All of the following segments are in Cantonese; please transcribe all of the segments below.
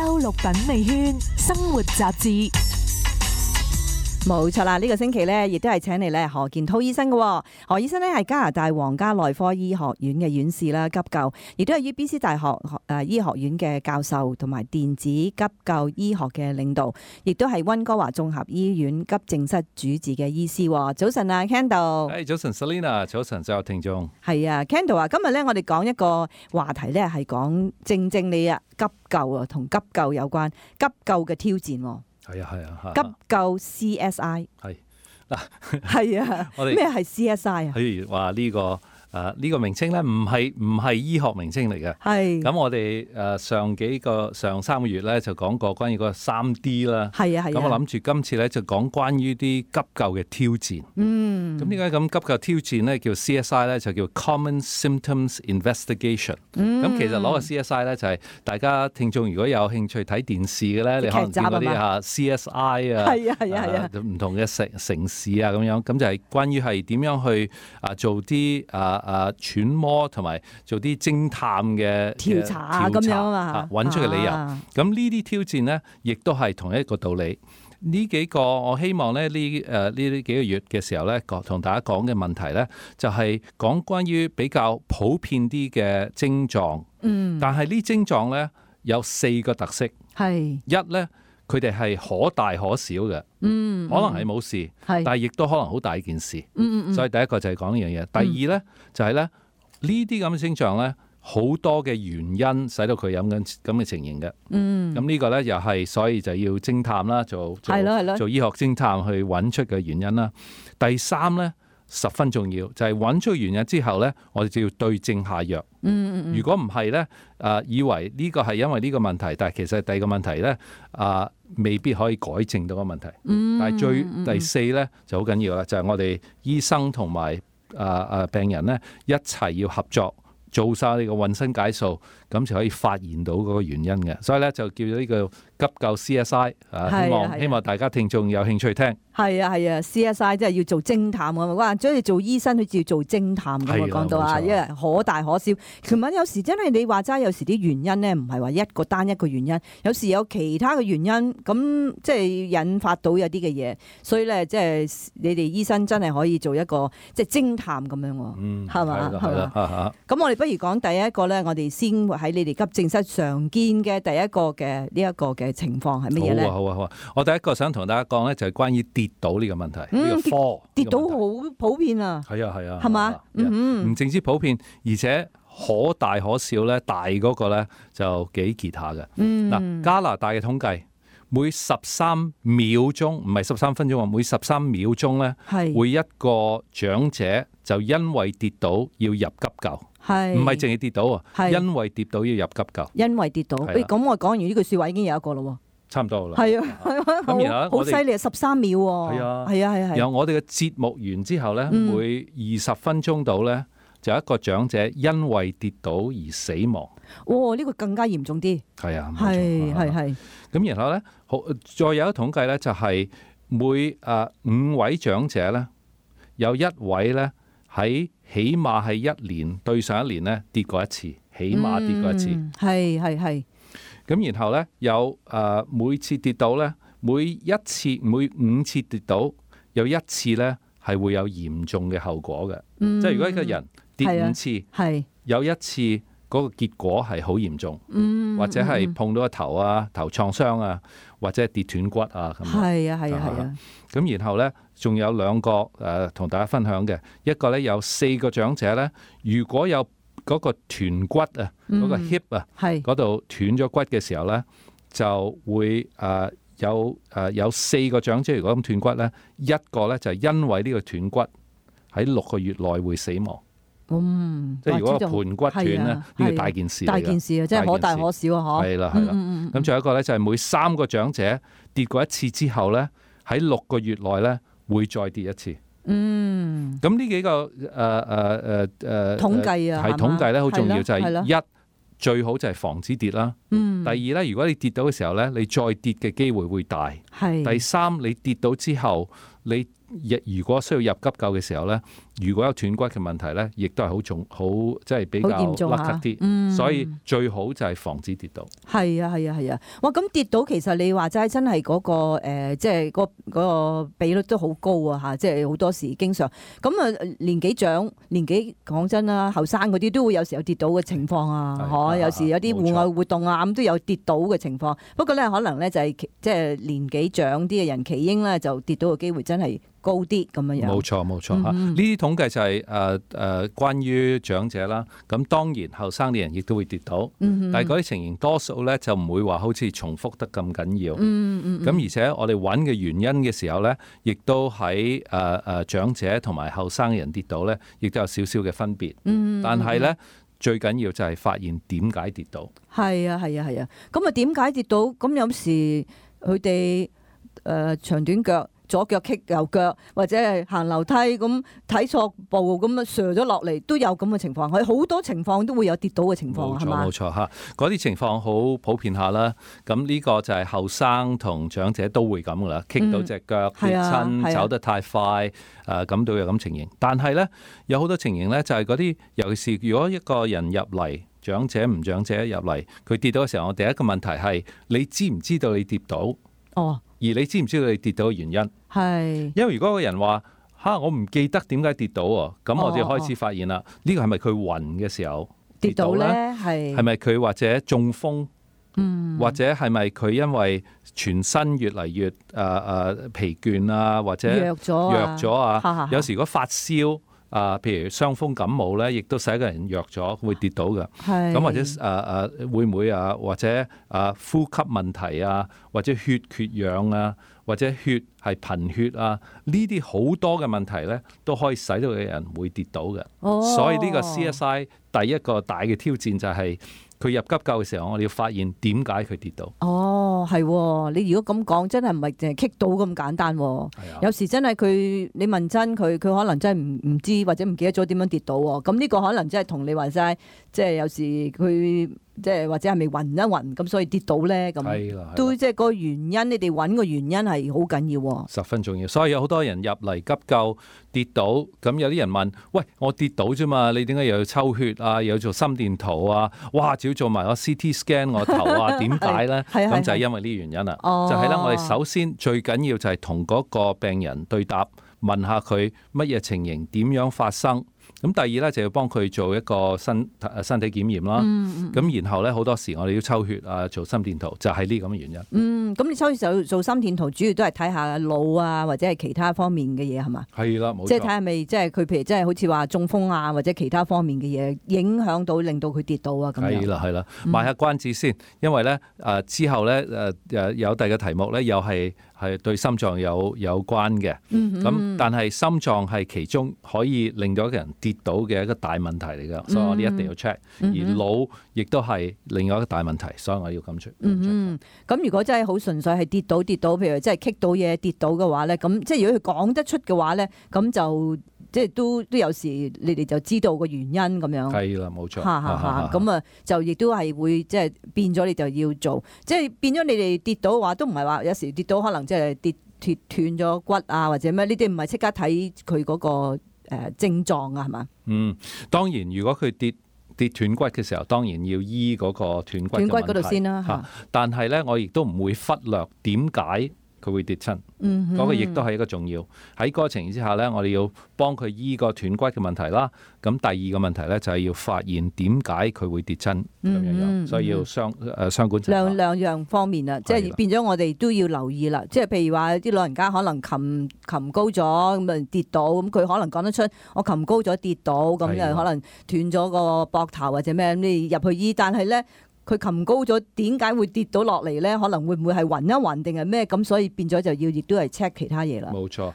周六品味圈生活雜誌。冇錯啦，呢個星期咧，亦都係請嚟咧何健滔醫生嘅。何醫生咧係加拿大皇家內科醫學院嘅院士啦，急救，亦都係 UBC 大學醫學院嘅教授，同埋電子急救醫學嘅領導，亦都係溫哥華綜合醫院急症室主治嘅醫師。早晨啊 ，Kendall。早晨 Selina， 早晨所有聽眾。係啊 ，Kendall 啊，今日咧我哋講一個話題咧，係講正你啊急救啊，同急救有關，急救嘅挑戰。係啊，急救 CSI 係嗱，係啊，咩係 CSI 啊？譬如話呢個名稱咧，唔係醫學名稱嚟嘅。係咁，我哋上3個月咧就講過關於個3D 啦。係啊。咁我諗住今次咧就講關於啲急救嘅挑戰。咁點解咁急救挑戰咧叫 CSI 咧？就叫 Common Symptoms Investigation。咁其實攞個 CSI 咧就係大家聽眾如果有興趣睇電視嘅咧，你可能見嗰啲CSI 啊，係啊，唔同嘅城市啊咁樣，咁就係關於係點樣去做啲揣摩同埋做啲偵探嘅調查咁樣啊嘛，揾出嘅理由。咁呢啲挑戰呢，亦都係同一個道理。呢幾個我希望咧呢幾個月嘅時候咧，同大家講嘅問題咧，就係講關於比較普遍啲嘅症狀。但係呢症狀咧有4個特色。係一咧，佢哋係可大可小嘅。可能係冇事，但係亦都可能好大件事。所以第一個就係講呢樣嘢。第二咧就係咧呢啲咁嘅症狀咧，好多嘅原因使到佢有咁嘅情形嘅。咁呢個咧又係，所以就要偵探啦，做醫學偵探去揾出嘅原因啦。第三咧十分重要，就係揾出原因之後咧，我哋就要對症下藥。如果唔係咧，以為呢個係因為呢個問題，但係其實第二個問題咧，未必可以改正到個問題。但係第四咧就好緊要啦，就係我哋醫生同埋病人咧一齊要合作，做晒呢個渾身解數，咁就可以發現到嗰個原因嘅。所以咧就叫咗呢個急救 CSI。希望大家聽眾有興趣聽。係啊，CSI 即係要做偵探㗎嘛。哇，即係做醫生佢要做偵探㗎嘛。講到啊，因為可大可小。其實有時真係你話齋，有時啲原因咧唔係話單一個原因，有時有其他嘅原因，咁即係引發到有啲嘅嘢。所以咧，即係你哋醫生真係可以做一個即係偵探咁樣喎。係嘛？係啦。咁我哋不如講第一個咧，我哋先喺你哋急症室常見嘅第一個嘅呢一個嘅情況係乜嘢咧？好啊！我第一個想同大家講咧，就係關於跌倒呢個問題。呢個科跌倒好普遍啊。係啊。係嘛？唔淨止普遍，而且可大可小咧。大嗰個咧就幾結下嘅。嗱，加拿大嘅統計，每13秒鐘，唔係13分鐘啊，每13秒鐘咧，會一個長者就因為跌倒要入急救。唔係淨係跌倒啊，因為跌倒要入急救。因為跌倒，咁我講完呢句說話已經有一個咯。差唔多啦。係啊，咁然後好犀利13秒喎。係啊。然後我哋嘅節目完之後咧，每20分鐘度咧，就有一個長者因為跌倒而死亡。哇！呢個更加嚴重啲。係啊。係。咁然後咧，再有一個統計咧，就係每5位長者咧，有1位咧喺起碼係1年對上1年咧跌過一次，起碼跌過一次。係。咁然後咧有每次跌倒咧，每5次跌倒有1次咧係會有嚴重嘅後果嘅。即係如果一個人跌5次，有1次嗰個結果係好嚴重，或者係碰到個頭啊、頭創傷啊，或者係跌斷骨啊咁。係啊。咁然後咧仲有2個同大家分享嘅，一個咧有4個長者咧，如果有嗰個斷骨啊，嗰個 hip 啊，嗰度斷咗骨嘅時候咧，就會有4個長者如果咁斷骨咧，一個咧就係因為呢個斷骨喺6個月內會死亡。即係如果個盤骨斷咧，呢個大件事嚟嘅。大件事啊，即係可大可小啊，係啦。咁仲有一個咧，就係每3個長者跌過一次之後咧，喺6個月內咧會再跌一次。咁呢幾個統計啊，係統計咧好重要，就係一最好就係防止跌啦。第二咧，如果你跌到嘅時候咧，你再跌嘅機會會大。第三，你跌到之後，你如果需要入急救嘅時候咧，如果有斷骨嘅問題咧，亦都係好重，好即係比較好嚴重甩啲。所以最好就係防止跌倒。係啊係啊係啊！哇，咁跌倒其實你話齋真係嗰個即係嗰個比率都好高啊嚇！即係好多時經常咁啊，年紀長年紀講真啦，後生嗰啲都會有時有跌倒嘅情況啊，嚇！有時有啲戶外活動啊咁都有跌倒嘅情況。不過咧，可能咧就係即係年紀長啲嘅人，起應咧就跌倒嘅機會真係高啲咁樣樣。冇錯冇錯嚇，呢啲統計就係關於長者啦。咁當然後生啲人亦都會跌倒，但係嗰啲情形多數咧就唔會話好似重複得咁緊要。咁而且我哋揾嘅原因嘅時候咧，亦都喺長者同埋後生嘅人跌倒咧，亦都有少少嘅分別。但係咧最緊要就係發現點解跌倒。係啊係啊係啊！咁啊點解跌倒？咁有時佢哋長短腳。左腳棘右腳，或者係行樓梯咁睇錯步咁啊，瀡咗落嚟都有咁嘅情況。佢好多情況都會有跌倒嘅情況，係嘛？冇錯嚇，嗰啲情況好普遍下啦。咁呢個就係後生同長者都會咁噶啦，棘到隻腳跌親，走得太快，咁都有咁情形。但係咧有好多情形咧，就係嗰啲，尤其是如果一個人入嚟，長者唔長者入嚟，佢跌倒嘅時候，我第一個問題係你知唔知道你跌倒？哦。而你知唔知道你跌倒嘅原因？係，因為如果個人話我唔記得點解跌倒喎，咁我哋開始發現啦，呢個係咪佢暈嘅時候跌倒咧？係咪佢或者中風？或者係咪佢因為全身越嚟越疲倦啊，或者弱咗啊？有時如果發燒。譬如傷風感冒咧，亦都使一個人弱咗，會跌倒嘅。咁或者會唔會或者呼吸問題啊，或者血缺氧啊，或者血係貧血啊，呢啲好多嘅問題咧，都可以使到嘅人會跌倒嘅。所以呢個 CSI 第一個大嘅挑戰就係佢入急救嘅時候，我哋要發現點解佢跌倒。係，你如果咁講，真係唔係淨係棘到咁簡單。有時真係佢，你問真佢可能真係唔知或者唔記得咗點樣跌倒。咁呢個可能真係同你話齋，即係有時佢即係或者係咪暈一暈咁，所以跌倒咧咁。都即係個原因，你哋揾個原因係好緊要。十分重要。所以有好多人入嚟急救跌倒，咁有啲人問：喂，我跌倒啫嘛，你點解又要抽血啊？又要做心電圖啊？哇！仲要做埋個 CT scan 我頭啊？點解咧？咁就係因為呢個原因啦。就係咧，我哋首先最緊要就係同嗰個病人對答，問下佢乜嘢情形，點樣發生。咁第二咧就要幫佢做一個身體檢驗啦。咁然後咧好多時我哋要抽血啊，做心電圖，就係呢咁嘅原因。咁你抽血做心電圖，主要都係睇下腦啊，或者係其他方面嘅嘢係嘛？係啦，冇錯。即係睇下咪即係佢譬如即係好似話中風啊，或者其他方面嘅嘢影響到令到佢跌倒啊咁樣。係啦，賣下關子先，因為咧之後咧有第二個題目咧又係對心臟有關嘅。咁但係心臟係其中可以令到一個人跌倒嘅一個大問題嚟㗎，所以我哋一定要 check。而腦亦都係另外一個大問題，所以我要咁 check。咁如果真係好純粹係跌倒，譬如真係棘到嘢跌倒嘅話咧，咁即係如果佢講得出嘅話咧，咁就即係都有時你哋就知道個原因咁樣。係啦，冇錯。咁啊就亦都係會即係變咗你就要做，即係變咗你哋跌倒嘅話，都唔係話有時跌倒可能即係斷咗骨啊或者咩？呢啲唔係即刻睇佢嗰個症狀啊，係嘛？當然如果佢跌斷骨嘅時候，當然要醫嗰個斷骨嗰度先啦。但係咧，我亦都唔會忽略點解佢會跌親。嗰個亦都係一個重要。喺嗰個情形之下咧，我哋要幫佢醫個斷骨嘅問題啦。咁第二個問題咧就係要發現點解佢會跌親咁樣，所以要雙管齊下。兩樣方面啊，即係變咗我哋都要留意啦。即係譬如話啲老人家可能擒高咗咁啊跌倒，咁佢可能講得出我擒高咗跌倒，咁又可能斷咗個膊頭或者咩，你入去醫，但係咧。佢擒高咗，點解會跌到落嚟咧？可能會唔會係暈一暈定係咩？咁所以變咗就要亦都係 check 其他嘢啦。冇錯，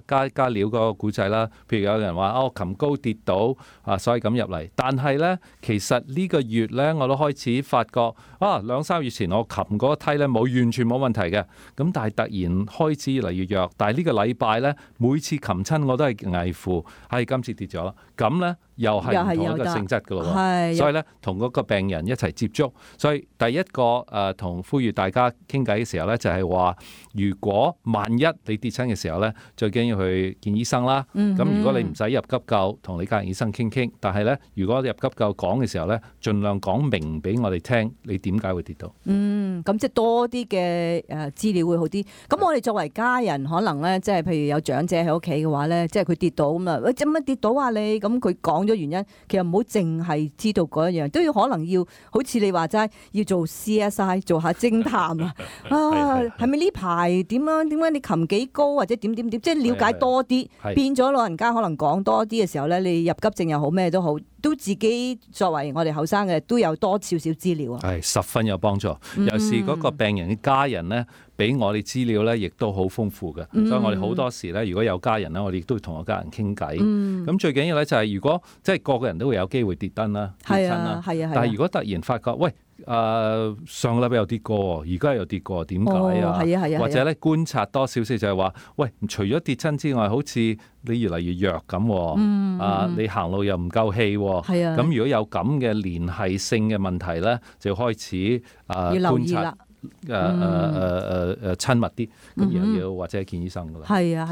再加料嗰個古仔啦。譬如有人話我擒高跌倒所以咁入嚟。但係咧，其實呢個月咧，我都開始發覺2-3月前我擒嗰個梯咧完全冇問題嘅。咁但係突然開始越嚟越弱。但係呢個禮拜咧，每次擒親我都係危乎，今次跌咗啦。咁咧又係唔同一個性質噶咯喎。所以咧，同嗰個病人一齊接觸。所以第一個同呼籲大家傾偈嘅時候咧，就係話，如果萬一你跌親嘅時候咧，最緊要去見醫生啦。咁如果你唔使入急救，同你家人醫生傾傾。但係咧，如果入急救講嘅時候咧，盡量講明俾我哋聽，你點解會跌到。咁即係多啲嘅資料會好啲。咁我哋作為家人，可能咧，即係譬如有長者喺屋企嘅話咧，即係佢跌倒咁啊，喂，點解跌倒啊你？咁佢講咗原因，其實唔好淨係知道嗰一樣，都要可能要好似你話齋，要做 CSI， 做下偵探啊！係咪呢排點樣？點解你擒幾高或者點？即係了解多啲，變咗老人家可能講多啲嘅時候咧，你入急症又好咩都好，都自己作為我哋後生嘅都有多少少資料啊。係十分有幫助，尤其是嗰個病人嘅家人咧，俾我哋資料咧，亦都好豐富嘅。所以我哋好多時咧，如果有家人咧，我哋亦都同個家人傾偈。咁最緊要咧就係，如果即係個個人都會有機會跌親啦，跌親啦。但係如果突然發覺，喂，上個禮拜又跌過，而家又跌過，點解啊？或者咧觀察多少少就係話，喂，除咗跌親之外，好似你越嚟越弱咁，你行路又唔夠氣，咁如果有咁嘅連繫性嘅問題咧，就要開始觀察。親密啲，咁然後要或者見醫生噶啦。係啊，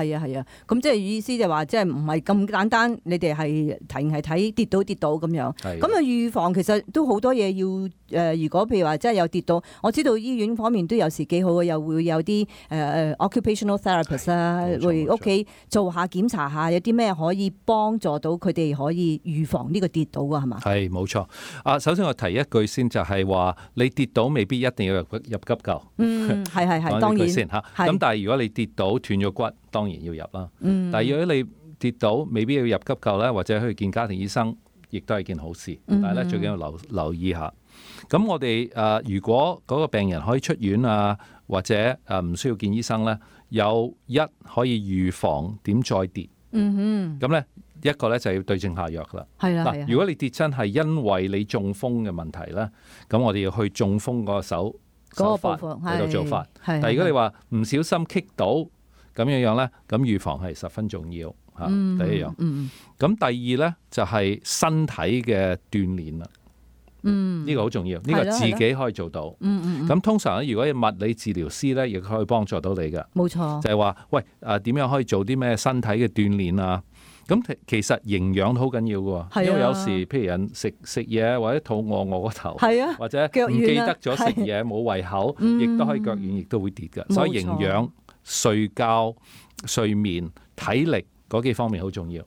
咁即係意思就話，即係唔係咁簡單，你哋係睇跌倒咁樣。咁啊預防其實都好多嘢要如果譬如話真係有跌倒，我知道醫院方面都有時幾好嘅，又會有啲occupational therapist 啦，會屋企做下檢查下，有啲咩可以幫助到佢哋可以預防呢個跌倒㗎係嘛？係冇錯。首先我提一句先，就係話你跌倒未必一定要入急救。係當然先嚇。咁但係如果你跌倒斷咗骨，當然要入啦。但係如果你跌倒未必要入急救咧，或者去見家庭醫生，亦都係件好事。但係咧最緊要留意下。咁我哋如果嗰個病人可以出院啊，或者唔需要見醫生咧，有可以預防點再跌。咁咧一個咧就要對症下藥啦。嗱，如果你跌親係因為你中風嘅問題咧，咁我哋要去中風個手法喺度做法。但係如果你話唔小心棘到咁樣咧，咁預防係十分重要嚇。第一樣。咁第二咧就係身體嘅鍛鍊啦。呢個好重要，呢個自己可以做到。咁通常咧，如果物理治療師咧，亦可以幫助到你嘅。冇錯。就係話，喂，點樣可以做啲咩身體嘅鍛鍊啊？咁其實營養都好緊要嘅喎，因為有時譬如人食嘢或者肚餓個頭，或者唔記得咗食嘢冇胃口，亦都可以腳軟，亦都會跌嘅。所以營養、睡覺、睡眠、體力嗰幾方面好重要。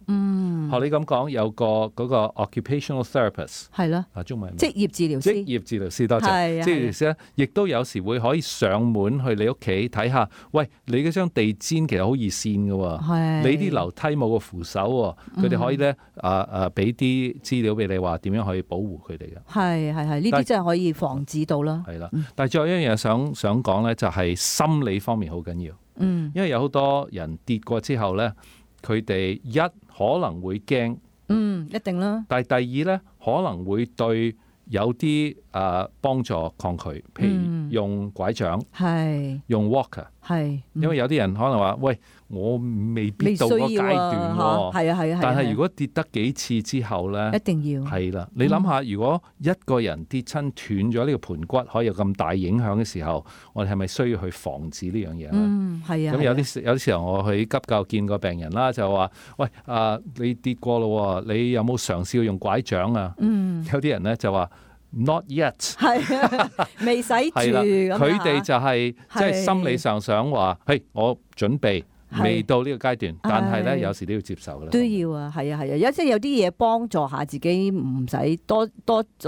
學你咁講，有嗰個 occupational therapist 係咯，中文職業治療師，多謝。職業治療師咧，亦都有時會可以上門去你屋企睇下，喂，你嗰張地氈其實好易跣嘅喎，你啲樓梯冇個扶手喎，佢哋可以咧俾啲資料俾你話點樣可以保護佢哋嘅。係，呢啲真係可以防止到啦。係啦，但係最後一樣嘢想講咧，就係心理方面好緊要。因為有好多人跌過之後咧，佢哋可能會驚，一定啦。但係第二咧，可能會對有啲幫助抗拒，譬如用拐杖，用 walker，因為有啲人可能話，喂，我未必到嗰個階段喎。但係如果跌得幾次之後咧，一定要係啦。你諗下，如果一個人跌親斷咗呢個盤骨，可以有咁大影響嘅時候，我哋係咪需要去防止呢樣嘢咧？咁有啲時候我去急救見個病人啦，就話，喂，你跌過咯，你有冇嘗試用拐杖啊？有啲人咧就話Not yet， 未使住。佢哋就係即係心理上想話，嘿，我準備。未到呢個階段，但係咧有時都要接受啦。都要啊，係啊，有即係有啲嘢幫助下自己，唔使多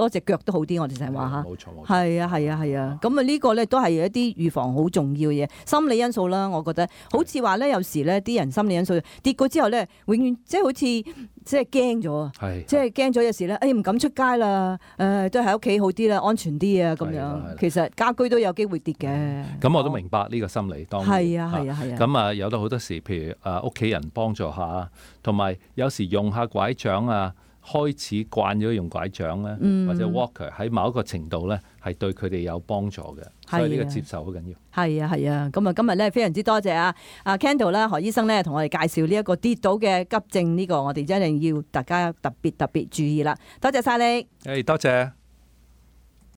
隻腳都好啲。我哋成日話嚇，冇錯。係啊。咁啊呢個咧都係一啲預防好重要嘅嘢，心理因素啦。我覺得好似話咧，有時咧啲人心理因素跌過之後咧，永遠即係好似即係驚咗啊，即係驚咗有時咧，唔敢出街啦，都喺屋企好啲啦，安全啲啊咁樣。其實家居都有機會跌嘅。咁我都明白呢個心理，當然係啊。咁有好多時，譬如屋企人幫助下，同埋有時用下拐杖啊，開始慣咗用拐杖咧，或者 walker 喺某一個程度咧，係對佢哋有幫助嘅。所以呢個接受好緊要。係啊係啊，咁啊今日咧非常之多謝啊 Kendall 啦何醫生咧同我哋介紹呢一個跌倒嘅急症呢個，我哋一定要大家特別注意啦。多謝晒你。多謝。